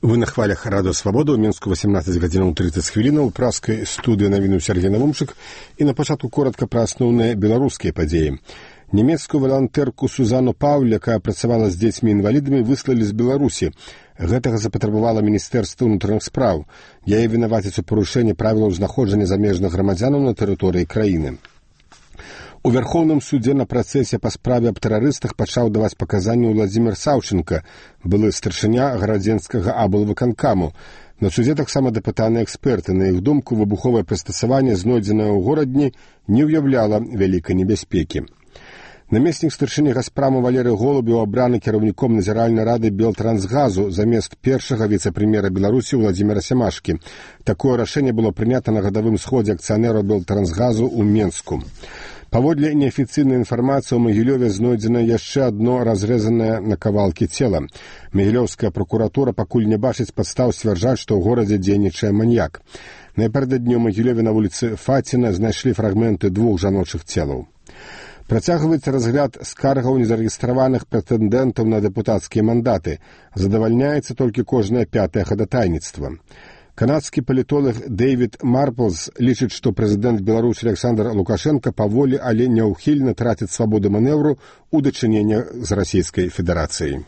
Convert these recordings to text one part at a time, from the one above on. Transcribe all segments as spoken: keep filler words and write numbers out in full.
Вы на хвалях Радио Свобода, у Мінску вісімнадцять гадзінаў тридцать хвілінаў, у праскай студыі навіну Сергей Навумчык, і на пачатку коротка пра асноўныя беларускія падзеі. Нямецкую валантэрку Сузану Пауль, якая працавала з дзецьмі-інвалідамі, выслалі з Беларусі. Гэтага запатрабавала Міністэрства ўнутраных спраў. Яе вінавацяць у парушэнні правілаў знаходжання замежных грамадзянаў на тэрыторыі краіны. У Вярхоўным судзе на працэсе па справе аб тэрарыстах пачаў даваць паказанні Владзімір Саўчынка, былы старшыня гарадзенскага аблвыканкаму. На судзе таксама дапытаныя эксперты. На іх думку, выбуховае прыстасаванне, знойдзенае ў горадні, не ўяўляла вялікай небяспекі. Намеснік старшыні Газпраму Валерый Голубеў абраны кіраўніком назіральнай рады Белтрансгазу замест першага віцэ-прэм'ера Беларусі Владзіміра Сямашкі. Такое рашэнне было прынята на гадавым сходзе акцыянераў Белтрансгазу ў Менску. Паводле неафіцыйнай інфармацыі ў Магілёве знойдзена яшчэ адно разрэзанае на кавалкі цела. Магілёўская пракуратура пакуль не бачыць падстаў сцвярджаць, што ў горадзе дзейнічае маньяк. Напярэдадні ў Магілёве на вуліцы Фаціна знайшлі фрагменты двух жаночых целаў. Працягваецца разгляд скаргаў незарэгістраваных прэтэндэнтаў на дэпутацкія мандаты. Задавальняецца толькі кожнае пятае хадатайніцтва. Канадскі палітолог Дэвід Марплз лічыць, што прэзідэнт Беларусі Александр Лукашенко паволі, але няўхільна траціць свабоду манеўру ў дачыненні з Расійскай Федэрацыяй.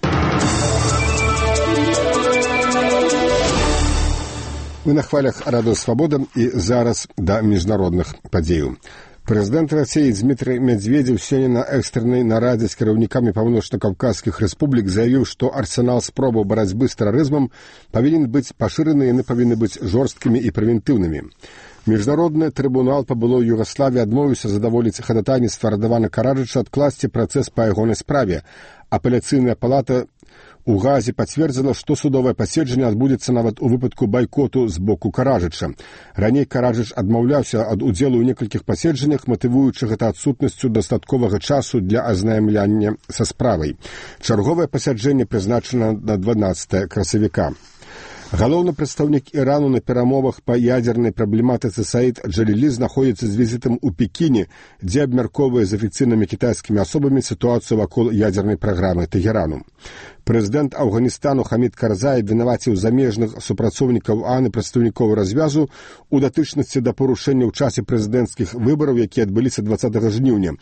Вы на хвалях Радыё Свабода і зараз да міжнародных падзеяў. Прэзідэнт Расіі Дмітрый Медведзеў сёння на экстрэннай нарадзе з кіраўнікамі паўночна-каўказскіх рэспублік заявіў, што арсенал спробаў барацьбы з тэрарызмам павінен быць пашыраны, яны павінны быць жорсткімі і прэвентыўнымі. Міжнародны трыбунал па былой Югаславіі адмовіўся задаволіць хадатайніцтва Радавана Караджыча адкласці працэс па ягонай справе. Апеляцыйная палата у Газе пацвердзіла, што судовае паседжанне адбудзецца нават у выпадку байкоту з боку Караджыча. Раней Караджыч адмаўляўся ад удзелу ў некалькіх паседжаннях, матывуючы гэта адсутнасцю дастатковага часу для азнаямлення са справай. Чарговае пасяджэнне прызначана на дванаццатае красавіка. Галоўны прадстаўнік Ірану на перамовах па ядзернай праблематыцы Саід Джалілі знаходзіцца з візітам у Пекіне, дзе абмяркоўвае з афіцыйнымі кітайскімі асобамі сітуацыю вакол ядзернай праграмы Тэгерану. Прэзідэнт Афганістану Хамід Карзай вінаваціў замежных супрацоўнікаў ААН і прадстаўнікоў развязу у датычнасці да парушэння ў часе прэзідэнцкіх выбараў, якія адбыліся дваццатага жніўня.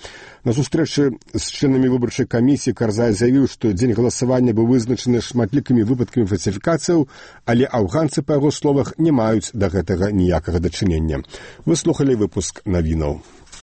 На сустрэчы з членамі выбарчай камісіі Карзай заявіў, што дзень галасавання быў вызначаны шматлікімі выпадкамі фальсіфікацыяў, але афганцы, па яго словах, не маюць да гэтага ніякага дачынення. Вы слухалі выпуск навінаў.